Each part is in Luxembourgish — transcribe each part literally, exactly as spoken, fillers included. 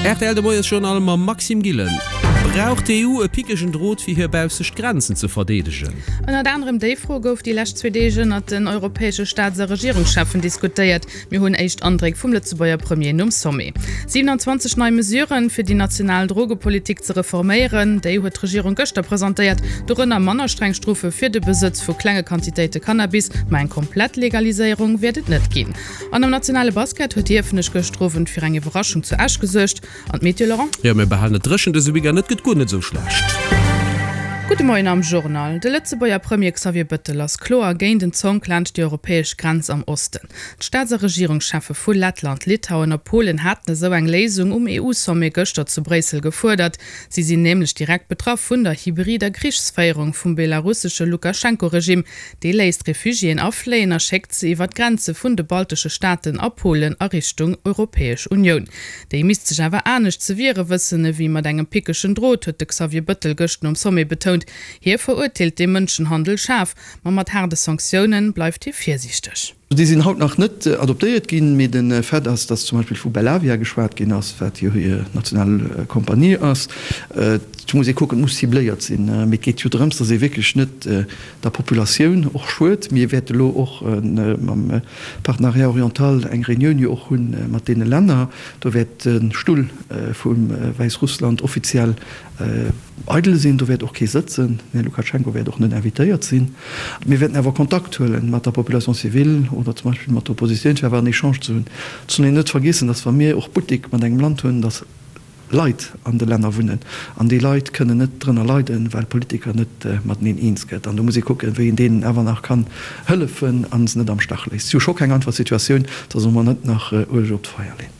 Rtl de Moiesjournal mam Maxime Gillen. Brauch d'EU e pickegen Drot fir hir baussecht Grenzen ze verdeedegen? Ënnert anerem déi Fro gouf déi lescht zwee Deeg ënnert den europäesche Staats a Regierungscheffen diskutéiert. Mir hunn éischt Andréck vum Lëtzebuerger Premier nom Sommet. siwenanzwanzeg nei Mesuren, fir déi national Drogepolitik ze reforméieren, déi huet d'Regierung gëschter presentéiert. Dorënner manner streng Strofe fir de Besëtz vu klenge Quantitéite Cannabis, ma eng komplett Legaliséierung wäert et net ginn. An am nationale Basket huet Hiefenech gëschter Owend fir eng Iwwerraschung zu Esch gesuergt. An d'Meteo, Laurent? Jo, mir behalen et dréchen dëse Weekend, et gëtt guer net esou schlecht. Gudde Moien am Journal. De Lëtzebuerger Premier Xavier Bëttel ass kloer géint en Zonk laanscht déi europäesch Grenz am Osten. D'Staats a Regierungscheffe vu Lettland, Litauen a Polen haten esou eng Léisung um EU-Sommet gëschter zu Bréissel gefuerdert. Si sinn nämlech direkt betraff vun der hybrider Krichsféierung vum belarussesche Lukaschenko-Regime. Dee léisst Refugiéen afléien a schéckt se iwwer d'Grenze vun de baltesche Staaten a Polen a Richtung Europäesch Unioun. Déi misst sech awer anescht ze wiere wëssen ewéi mat engem pickegen Drot, huet de Xavier Bëttel gëscht nom Sommet betount. Hie verurteelt dee Mënschenhandel schaarf, ma mat haarde Sanktioune bleift hie virsiichteg. Déi sinn haut nach net adoptéiert ginn, mee de Fait ass, datt zum Beispill vu Belavia geschwat ginn ass, wat jo hir national Kompanie ass. Et muss ee kucken, et muss cibléiert sinn, mee et geet jo drëms, datt ee wierklech net der Populatioun och schued. Mir wäerte lo och mam Partenariat oriental eng Reunioun jo och hu mat deene Länner. Do wäert de Stull vu Wäissrussland offiziell eidel sinn, do wäert och kee sëtzen, den Här Lukaschenko wäert och net invitéiert sinn. Mir wäerten awer Kontakt huele mat der Population civile oder zum Beispill mat der Oppositioun, fir awer en Echange ze hunn. Et soll een net vergiessen, datt wa mir och Buttek mat engem Land hunn, datt Leit an de Länner wunnen an déi Leit kënnen net drënner leiden, well d'Politiker net mateneen eens gëtt. An do muss ee kucken, wéi een deenen awer nach kann hëllefen a se net am Stach léisst. Si hu scho keng einfach Situatioun, da solle mer net nach Ueleg op d'Feier leen.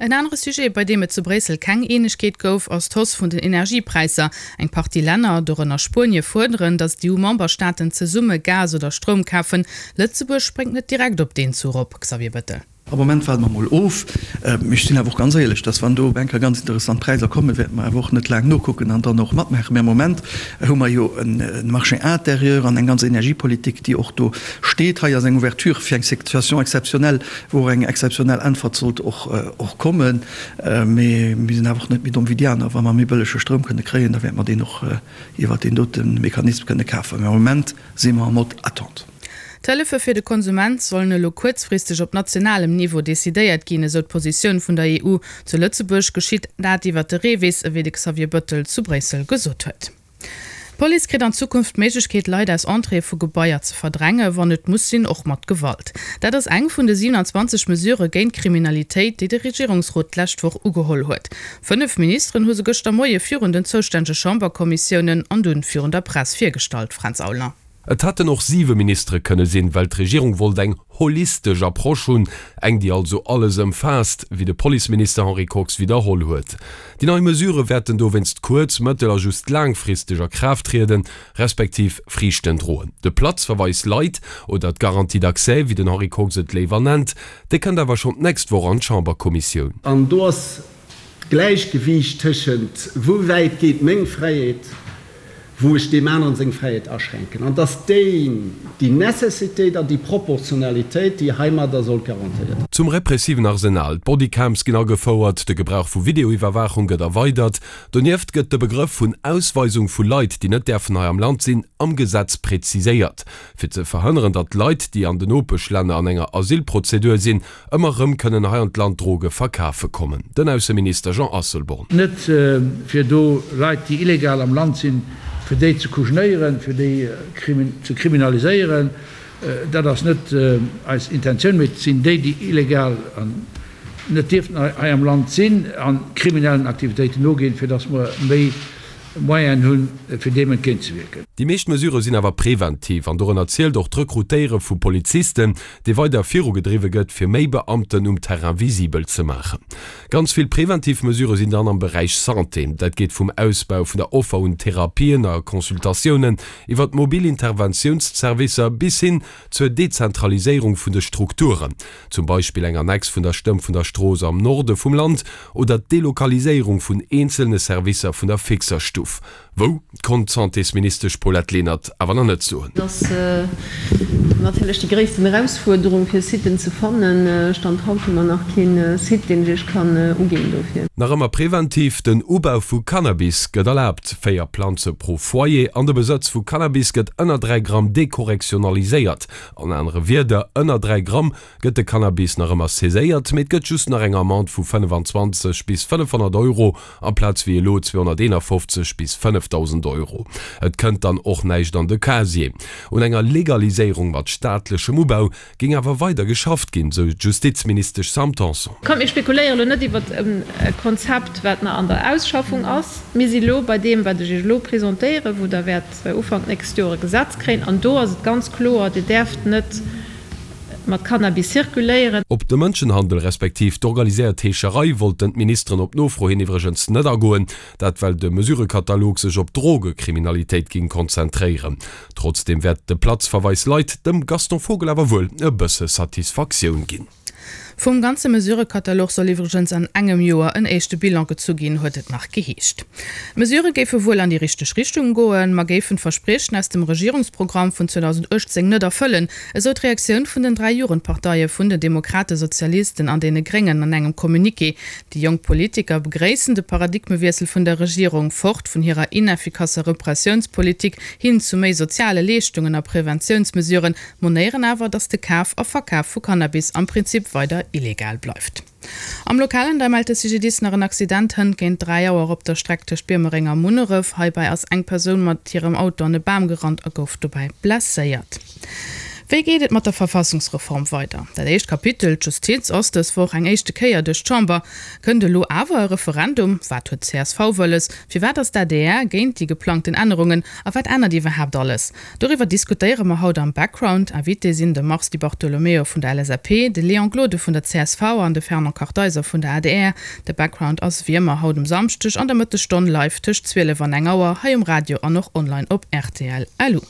En anere Sujet, bei deem et zu Bréissel keng Eenegkeet gouf, ass d'Hausse vun den Energiepräisser. Eng Partie Länner, dorënner Spuenie, fuerderen, datt d'EU-Memberstaaten zesumme Gas oder Stroum kafen. Lëtzebuerg spréngt net direkt op deen Zuch op, Xavier Bettel. Am Moment waarde mer mol of. Mee ech sinn awer och ganz éierlech, dass wann do op eng Kéier ganz interessant Präisser kommen, wäerte mer awer och net laang nokucken an dann och matmaachen. Mee am Moment hu mer jo e Marché intérieur an eng ganz Energiepolitik, déi och do steet. Hei ass eng Ouverture fir eng Situation exceptionnelle, wou och eng exceptionnell Äntwert sollt och kommen. Mee mir sinn awer och net méi domm wéi déi aner. Wa mer méi bëllege Stroum kënne kréien, da wäerte mer deen och iwwert deen dote Mechanisme kënne kafen. Mee am Moment si mer en mode attente. D'Hëllefe fir de Konsument sollen elo kuerzfristeg op nationalem Niveau decidéiert ginn, esou d'Positioun vun der EU. Zu Lëtzebuerg geschitt dat iwwer de REVIS, ewéi de Xavier Bëttel zu Bréissel gesot huet. D'Police kritt an Zukunft d'Méiglechkeet, Leit aus Entréeë vu Gebaier ze verdrängen, wann et muss sinn, och mat Gewalt. Dat ass eng vun de siewenanzwanzeg Mesurë géint d'Kriminalitéit, déi de Regierungsrot d'lescht Woch ugeholl huet. Fënnef Ministeren hu se gëschter Moie virun den zoustännege Chamberkommissiounen an dunn virun der Press virgestallt. Fränz Aulner. Et hätten och siwe Ministere kënne sinn, well d'Regierung wollt eng holistesch Approche hunn, eng déi also alles ëmfaasst, wéi de Policeminister Henri Kox widderholl huet. Déi nei Mesurë wäerten dowéinst kuerz-, mëttel a just laangfristeg a Kraaft trieden, respektiv Friichten droen. De Platzverweis light oder d'Garantie d'accès, wéi den Henri Kox et léiwer nennt, dee kënnt awer schonn d'nächst Woch an d'Chamberkommissioun. An do ass d'Gläichgewiicht tëschent, wou wäit geet meng Fräiheet, wou ech deem aneren seng Fräiheet aschränken, an dass déi déi Necessitéit an déi Proportionalitéit, déi heimadder sollt garantéiert. Zum repressiven Arsenal, D'Bodycams ginn agefouert, de Gebrauch vu Videoiwwerwaachung gëtt erweidert. Donieft gëtt de Begrëff vun Ausweisung vu Leit, déi net däerfen hei am Land sinn, am Gesetz preziséiert, fir ze verhënneren, datt Leit, déi an den Nopeschlänner an enger Asylprozedur sinn, ëmmer erëm kënnen hei an d'Land Droge verkafe kommen. Den Ausseminister Jean Asselborn. Net fir do Leit, déi illegal am Land sinn, fir déi ze kujenéieren, fir déi ze kriminaliséieren, dat ass net eis Intentioun, mee et sinn déi, déi illegal an net dierften hei am Land sinn a kriminellen Aktivitéiten noginn, fir datt mer méi Moyenen hunn, fir deem entgéintzewierken. Déi meescht Mesurë sinn awer preventiv an dorënner zielt och d'Rekrutéiere vu Polizisten, dee weider virugedriwwe gëtt, fir méi Beamten um Terrain visibel ze maachen. Ganz vill preventiv Mesurë sinn dann am Beräich Santé. Dat geet vum Ausbau vun der Offer un Therapien a Consultatiounen iwwer d'mobil Interventiounsservicer bis hin zur Dezentraliséierung vun de Strukturen, zum Beispill eng Annex vun der Stëmm vun der Strooss am Norde vum Land oder d'Delokaliséierung vun eenzelne Servicer vun der Fixerstuff. Wou, konnt d'Santésministesch Paulette Lenert awer nach net soen. Et ass natierlech déi gréissten Erausfuerderung, fir Siten ze fannen. Stand haut hu mer nach kee Site, deen ech Iech kann uginn dofir. Nach ëmmer preventiv, Den Ubau vu Cannabis gëtt erlaabt, véier Planze pro Foyer, an de Besëtz vu Cannabis gëtt ënner dräi Gramm dekorrektionaliséiert. An anere Wierder, ënner dräi Gramm gëtt de Cannabis nach ëmmer saiséiert, mee et gëtt just nach eng Amende vu fënnefenzwanzeg bis fënnefhonnert Euro amplaz wéi elo zweehonnerteenafofzeg bis fënnefdausend Euro. Et kënnt dann och näischt an de Casier. Un enger Legaliséierung mat staatlechem Ubau géing awer weider geschafft ginn, sou d'Justizministesch Sam Tanson. Kommt, mir spekuléiere elo net iwwer e Konzept, wat nach an der Ausschaffung ass. Mir si elo bei deem, wat ech Iech elo presentéieren, wou Der wäert Ufank d'nächst Joer e Gesetz kréien. An do ass et ganz kloer, Dir däerft net mat Cannabis zirkuléieren. Op de Mënschenhandel respektiv d'organiséiert Heescherei wollten d'Ministeren op Nofro hin iwwregens net agoen. Dat well de Mesurëkatalog sech op d'Drogekriminalitéit ging konzentréieren. Trotzdeem wäert de Platzverweis Leit dem Gaston Vogel awer wuel e bësse Satisfaktioun ginn. Vum ganze Mesurëkatalog soll iwwregens an engem Joer en éischte Bilan gezu ginn, huet et nach geheescht. D'Mesurë géife wuel an déi richteg Richtung goen, ma géifen d'Verspriechen aus dem Regierungsprogramm vun zweedausenduechtzéng net erfëllen, esou d'Reaktioun vun den dräi Jugendparteie vun den Demokraten, Sozialisten an deene Gréngen an engem Communiqué. Déi jonk Politiker begréissen de Paradigmewiessel vun der Regierung, fort vun hirer ineffikasser Repressiounspolitik hin zu méi soziale Leeschtungen a Preventiounsmesuren, monéieren awer, datt de Kaf a Verkaf vu Cannabis am Prinzip weider illegal bleift. Am Lokalen da mellt de C G D I S nach en Accident hënt géint dräi Auer op der Streck tëscht Biermereng a Munneref. Heibäi ass eng Persoun mat hirem Auto an e Bam gerannt a gouf dobäi blesséiert. Wéi geet et mat der Verfassungsreform weider? Dat éischt Kapitel, d'Justiz, ass dës Woch eng éischte Kéier duerch d'Chamber. Kënnt elo awer e Referendum? Wat huet d'C S V wëlles? Firwat ass d'A D R géint déi geplangten Ännerungen? A wat ännert iwwerhaapt alles? Doriwwer diskutéiere mer haut am Background. Invité sinn de Mars Di Bartolomeo vun der L S A P, de Léon Gloden vun der C S V an de Fernand Kartheiser vun der A D R. De Background ass wéi ëmmer haut um Samschdeg an der Mëttesstonn live tëscht zwielef an eng Auer hei um Radio an och online op R T L punkt L U.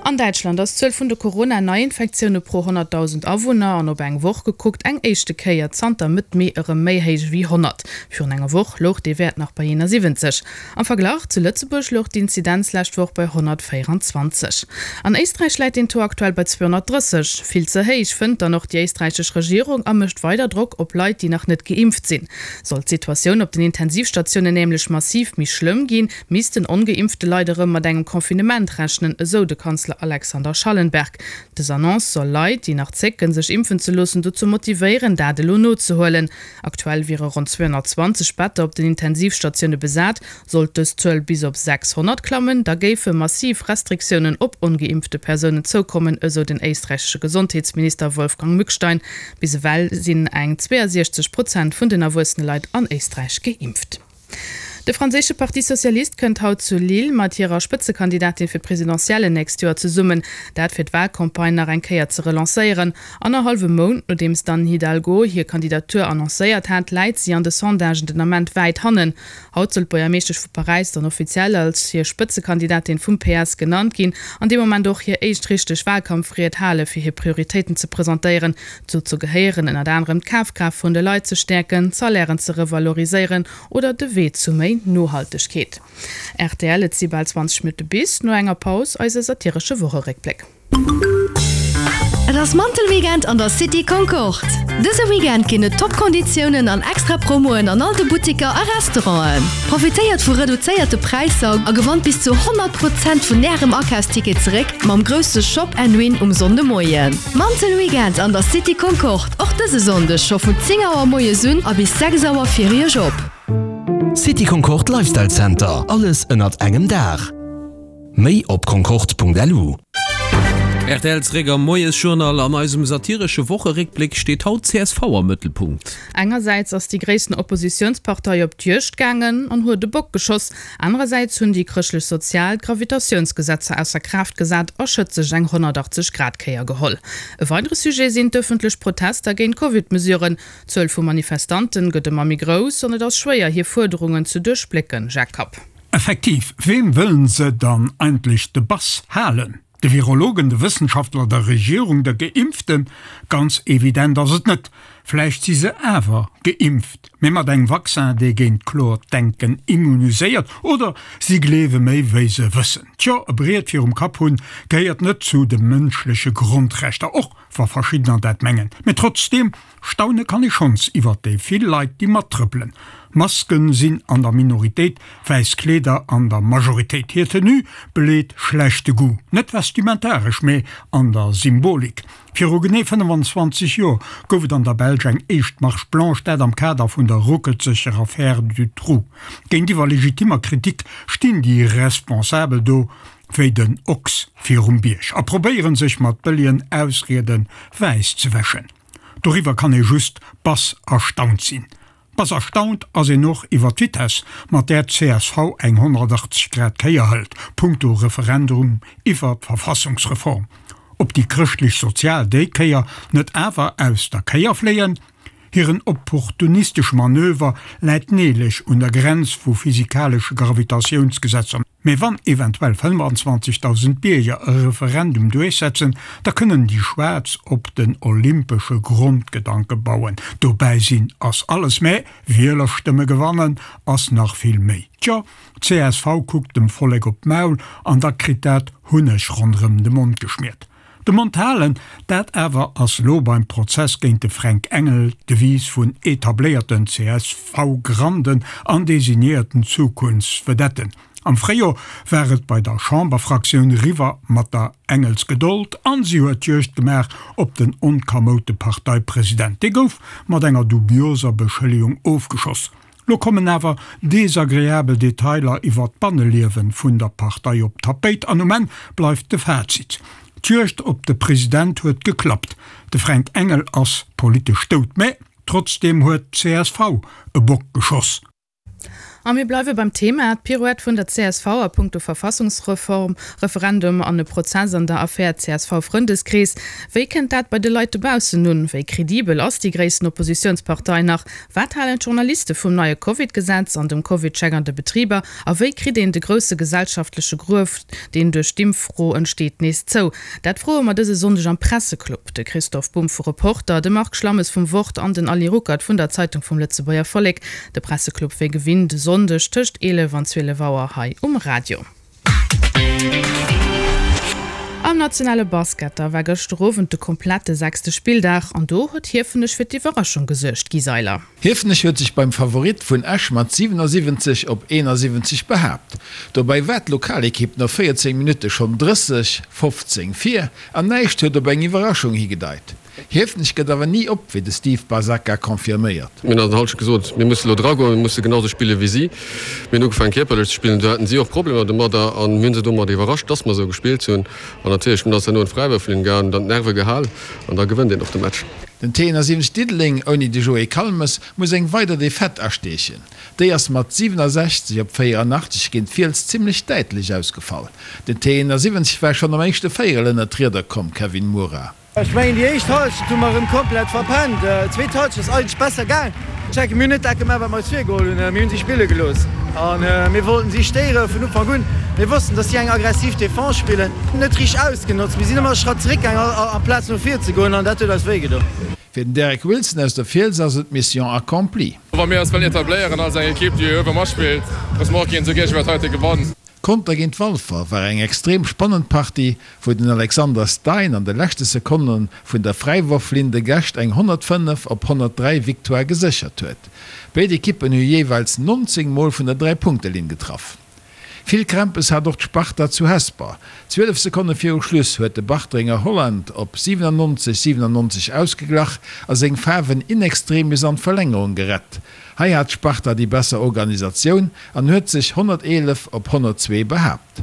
An Däitschland ass d'Zuel vun de Corona-Neiinfektioune pro honnertdausend Awunner an op eng Woch gekuckt eng éischte Kéier zanter Mëtt Mee erëm méi héich wéi honnert. Virun enger Woch louch dee Wäert nach bei eenasiwwenzeg. Am Verglach, zu Lëtzebuerg louch d'Inzidenz lescht Woch bei honnertvéierenzwanzeg. An Éisträich läit den Taux aktuell bei zweehonnertdrësseg. Vill ze héich, fënnt dann och déi éisträichesch Regierung a mécht weider Drock op Leit, déi nach net geimpft sinn. Sollt d'Situatioun op den Intensivstatiounen nämlech massiv méi schlëmm ginn, missten ongeimpfte Leit erëm mat engem Confinement rechnen, esou de Kanzler Alexander Schallenberg. Dës Annonce soll Leit, déi nach zécken, sech impfen ze loossen, dozou motivéieren, dat elo nozehuelen. Aktuell wiere ronn zweehonnertzwanzeg Better op den Intensivstatioune besat. Sollt dës Zuel bis op sechshonnert klammen, da géife massiv Restriktiounen op ongeimpfte Persounen zoukommen, esou den éisträichesche Gesondheetsminister Wolfgang Mückstein. Bis ewell sinn eng zweeësiechzeg Prozent vun den erwuessene Leit an Éisträich geimpft. De franséische Parti Socialiste kënnt haut zu Lille mat hirer Spëtzekandidatin fir d'Presidentiellen nächst Joer zesummen, dat fir d'Walcampagne nach eng Kéier ze relancéieren. Annerhallwe Mount nodeems d'Anne Hidalgo hir Kandidatur annoncéiert hat, läit si an de Sondagen den Ament wäit hannen. Haut soll d'Buergermeeschtesch vu Paräis dann offiziell als hir Spëtzekandidatin vum P S genannt ginn an dee Moment och hir éischt richteg Walkampfried hale fir hir Prioritéiten ze presentéieren. Dozou gehéieren ënnert anerem d'Kafkraaft vun de Leit ze stäerken, d'Salairen ze revaloriséieren oder de Wee zu méi Nohaltegkeet. R T L, Et si bal zwanzeg Minutte bis no enger Paus eise satiresche Wocheréckbléck. Et ass Mantelweekend an der City Concorde! Dëse Weekend ginn et Top-Konditiounen an extra Promoen an all de Butteker a Restauranten. Profitéiert vu reduzéierte Präisser a gewannt bis zu honnert Prozent vun Ärem Akafsticket zeréck mam grousse Shop and Win um Sonndemoien. Mantelweekend an der City Concorde, och dëse Sonndeg scho vun zéng Auer moies un a bis sechs Auer fir Iech op. City Concorde Lifestyle Center, alles ënnert engem Daach. Méi op concorde punkt lu. R T L zeréck am Moiesjournal. An eisem satiresche Wocheréckbléck steet haut d'C S V am Mëttelpunkt. Engersäits ass déi gréissten Oppositiounspartei op d'Juegd gaangen an huet de Bock geschoss. Anerersäits hunn déi Chrëschtlech-Sozial d'Gravitatiounsgesetzer ausser Kraaft gesat a schëtzeg eng honnertachtzeg Grad Kéier geholl. E weidere Sujet sinn d'ëffentlech Protester géint d'Covid-Mesuren. D'Zuel vu Manifestanten gëtt ëmmer méi grouss an et ass schwéier hir Fuerderungen ze duerchblécken. Jacques Kapp. Effektiv, wem wëllen se dann eigentlech de Bass halen? De Virologen, de Wëssenschaftler, der Regierung, de Geimpften? Ganz evident ass et net. Vläicht si se awer geimpft, mee mat engem Vaccin, dee géint kloert Denken immuniséiert, oder si gleewe méi wéi se wëssen. Tjo, e Briet virum Kapp hunn gehéiert net zu de mënschleche Grondrechter, och wa verschiddener dat mengen. Mee trotzdeem, staune kann ee schonns iwwert déi vill Leit, déi mattrëppelen. Masken sinn an der Minoritéit, wäiss Kleeder an der Majoritéit. Hir Tenue beleet schlechte Goût, net vestimentaresch, mee an der Symbolik. Viru genee fënnefenzwanzeg Joer gouf et an der Belsch eng éischt Marche blanche, dat am Kader vun der ruckelzeger Affär Dutroux. Géintiwwer legitimmer Kritik stinn déi Responsabel do wéi den Ochs virum Bierg a probéieren sech mat bëllegen Ausriede wäiss ze wäschen. Doriwwer kann ee just bass erstaunt sinn. Bass erstaunt ass een och iwwer d'Vitess, mat där d'C S V eng honnertachtzeg Grad Kéier hëlt, punkto Referendum iwwer d'Verfassungsreform. Ob déi Chrëschtlech-Sozial déi Kéier net awer aus der Kéier fléien? Hiren opportunistesche Manöver läit neelech un der Grenz vu physikalesche Gravitatiounsgesetzer. Mee wann eventuell fënnfanzwanzegdausend Bierger e Referendum duerchsetzen, da kënnen déi Schwaarz op den olympesche Grondgedanke bauen, Dobäi sinn ass alles, mä Wielerstëmme gewannen ass nach vill méi. Tjo, d'C S V kuckt dem Vollek op d'Maul an da kritt dat Hunneg ronderëm de Mond geschmiert. De Mond halen, dat awer ass lo beim Prozess géint de Fränk Engel d'Devise vun etabléierten C S V-Granden an designéierten Zukunftsvedetten. Am Fréijor war et bei der Chamberfraktioun riwwer mat der Engelsgedold an si huet d'Juegd gemaach op den onkamoute Parteipresident. Dee gouf mat enger dubioser Beschëllegung ofgeschoss. Lo kommen awer desagreabel Detailer iwwer d'Banneliewe vun der Partei op d'Tapéit an um Enn bleift de Fazit, D'Juegd op de President huet geklappt, de Fränk Engel ass politesch dout, mä trotzdeem huet d'C S V e Bock geschoss. A mir bleiwe beim Thema, D'Pirouette vun der C S V a punkto Verfassungsreform, Referendum an e Prozess an der Affär C S V-Frëndeskrees. Wéi kënnt dat bei de Leit dobaussen un? Wéi kredibel ass déi gréissten Oppositiounspartei nach? Wat halen d'Journaliste vum neie Covid-Gesetz an dem Covid-Check an de Betriber? A wéi kritt een de grousse gesellschaftleche Gruef, deen duerch d'Impffro entsteet, nees zou? Dat froe mer dëse Sonndeg am Presseclub. De Christoph Bumb vu Reporter, de Marc Schlammes vum Wort an den Ali Ruckert vun der Zeitung vum Lëtzebuerger Vollek. De Presseclub wéi gewinnt e Sonndeg tëscht eelef an zwielef Auer hei um Radio. Am nationale Basket da war gëschter Owend de komplette sechste Spilldag an do huet Hiefenech fir d'Iwwerraschung gesuergt, Guy Seiler. Hiefenech huet sech beim Favorit vun Esch mat siwenasiwwenzeg op eenasiwwenzeg behaapt. Dobäi war d'Lokalekipp no véierzéng Minutte schonn drësseg, fofzéng vir an näischt huet op eng Iwwerraschung higedeit. Hiefenech gëtt awer ni op, wéi de Steve Basacca confirméiert. Mir hunn an der Halschent gesot, mir musse lo dragoen, mir musse genau sou spille wéi si. Mir hunn ugefaangen kierperlech ze spillen, do haten si och Problemer domadder an mir hunn se domadder iwwerrascht, dass mer sou gespillt hunn. An natierlech, dunn ass herno an d'Fräiwërflinn gaangen, dann d'Nerve gehal an da gewënnt een och de Match. Den T siwwenzeg Diddeleng ouni de Joé Kalmes muss eng weider Defaite asteechen. Déi ass mat siwenasechzeg op véieranachteg géint d'Fiels zimmlech däitlech ausgefall. Den T siwwenzeg war schonn am éischte Véierel ënnert d'Rieder komm, Kevin Moura. Ech mengen déi éischt Halschent hu mer erëm komplett verpennt. D'zweet Halschent ass eigentlech besser gaang. Check, mir hunn net dat gemaach wat mer eis virgeholl hunn. Mir hunn si spille gelooss an mir wollten si stéiere vun Ufank un. Mir wossten, dass si eng aggressiv Defense spillen. Net richteg ausgenotzt. Mir sinn ëmmer e Schratt zeréck gaang amplaz no vir ze goen an dat huet eis wéi gedoen. Fir den Derek Wilson aus der Fiels ass et Mission accomplie. Wa mir eis wëllen etabléieren als eng Ekipp, déi uewe matspillt, musse mer och géint esou Géigner wéi dat heite gewannen. Conter géint Walfer war eng extrem spannend Partie, wou den Alexander Stein an de leschte Sekonne vun der Fräiworflinn de Gäscht eng honnertfënnef op honnertdräi Victoire geséchert huet. Béid Ekippen hu jeeweils nonzéng Mol vun der Dräi-Punkte-Linn getraff. Vill Krämpes hat och d'Sparta zu Hesper. Zwielef Sekonne viru Schluss huet de Bartrenger Holland op siwenannonzeg, siwenannonzeg ausgeglach a seng Faarwen in extremis an d'Verlängerung gerett. Hei hat d'Sparta déi besser Organisatioun an huet sech honnerteelef op honnertzwee behaapt.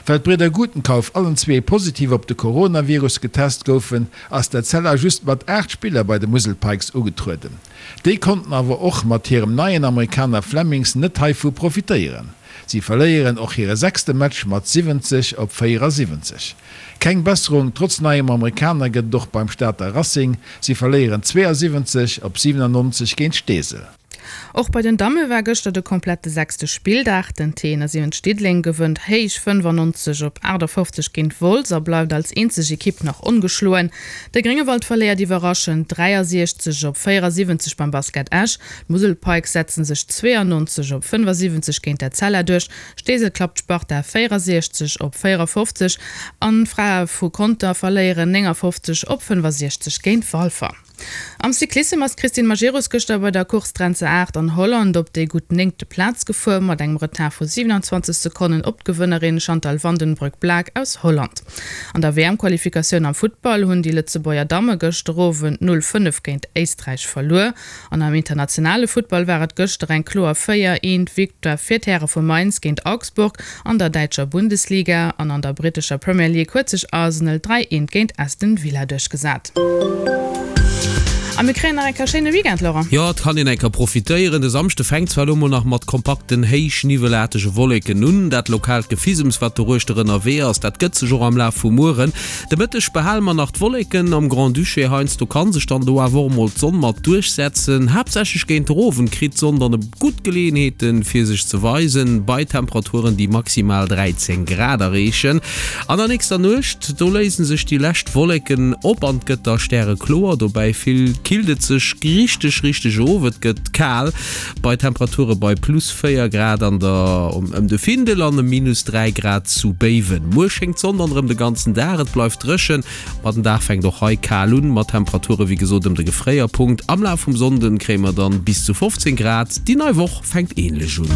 Well d'Bridder Gutenkauf allen zwee positiv op de Coronavirus getest goufen, ass d'Etzella just mat aacht Spiller bei de Musel Pikes ugetrueden. Déi konnten awer och mat hirem neien Amerikaner Flemmings net heivu profitéieren. Si verléieren och hire sechste Match mat siwwenzeg op véierasiwwenzeg. Keng Besserung trotz neiem Amerikaner gëtt et och beim Stater Racing, si verléieren zweeasiwwenzeg op siwenannonzeg géint Steesel. Och bei den Damme war gëschter de komplette sechste Spilldag. Den T siwwenzeg Diddeleng gewënnt héich fënnefannonzeg op aachtafoffzeg géint Wolz a bleift als eenzeg Ekipp nach ongeschloen. De Gréngewald verléiert iwwerraschend dräiasiechzeg op véierasiwwenzeg beim Basket Esch. D'Musel Pikes setzen sech zweeannonzeg op fënnefasiwwenzeg géint Etzella duerch. Steesel klappt d'Sparta véierasiechzeg op véierafofzeg an d'Frae vu Conter verléieren néngafofzeg op fënnefasiechzeg géint Walfer. Am Cyclissem ass d'Christine Majerus gëschter bei der Course Drentse aacht an Holland op déi gutt néngte Plaz gefuer, mat engem Retard vu siwenanzwanzeg Sekonnen op d'Gewënnerin Chantal van den Broek-Blaak aus Holland. An der W M-Qualifikatioun am Futtball hunn déi Lëtzebuerger Damme gëschter Owend null fënnef géint Éisträich verluer. An am internationale Futtball war et gëschter eng kloer véier eent Victoire fir d'Häre vu Mainz géint Augsburg an der däitscher Bundesliga. An an der brittescher Premier League huet sech Arsenal dräi eent géint Aston Villa duerchgesat. A mir kréien nach eng Kéier schéine Weekend, Laurent. Jo, et kann een eng Kéier profitéieren. De Samschde fänkt zwar elo mol nach mat kompakten, héichniwwelaartege Wolleken un. Dat lokaalt Gefissems, wat doruechter ënnerwee ass, dat gëtt sech och am Laf vum Mueren. De Mëtteg behale mer nach d'Wolleken am Grand-Duché. Heiansdo ka sech dann do awer och mol d'Sonn mat duerchsetzen. Haaptsächlech géint den Owend kritt d'Sonn dann e gutt Geleeënheeten, fir sech ze weisen, bei Temperaturen, déi maximal dräizéng Grad erreechen. An der nächster Nuecht, do léise sech déi lescht Wolleken op an et gëtt da stärekloer. Dobäi vill killt et sech richteg, richteg of, et gëtt kal bei Temperature bei plus véier Grad an der ëm de Findel an ëm minus dräi Grad zu Béiwen. Muer schéngt d'Sonn dann erëm de ganzen Dag, et bleift dréchen, ma den Dag fänkt och hei kal un, mat Temperature wéi gesot ëm de Gefréierpunkt. Am Laf vum Sonnden kréie mer dann bis zu fofzéng Grad. Déi nei Woch fänkt änlech un.